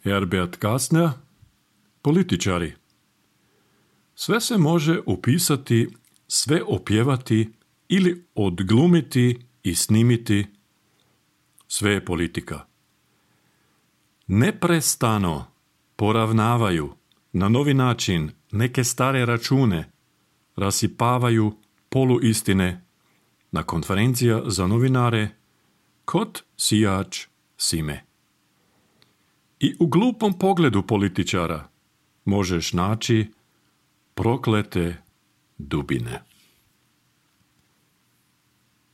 Herbert Kastner, političari. Sve se može upisati, sve opjevati ili odglumiti i snimiti. Sve je politika. Neprestano poravnavaju na novi način neke stare račune, rasipavaju poluistine na konferencija za novinare kod sijač sime. I u glupom pogledu političara možeš naći proklete dubine.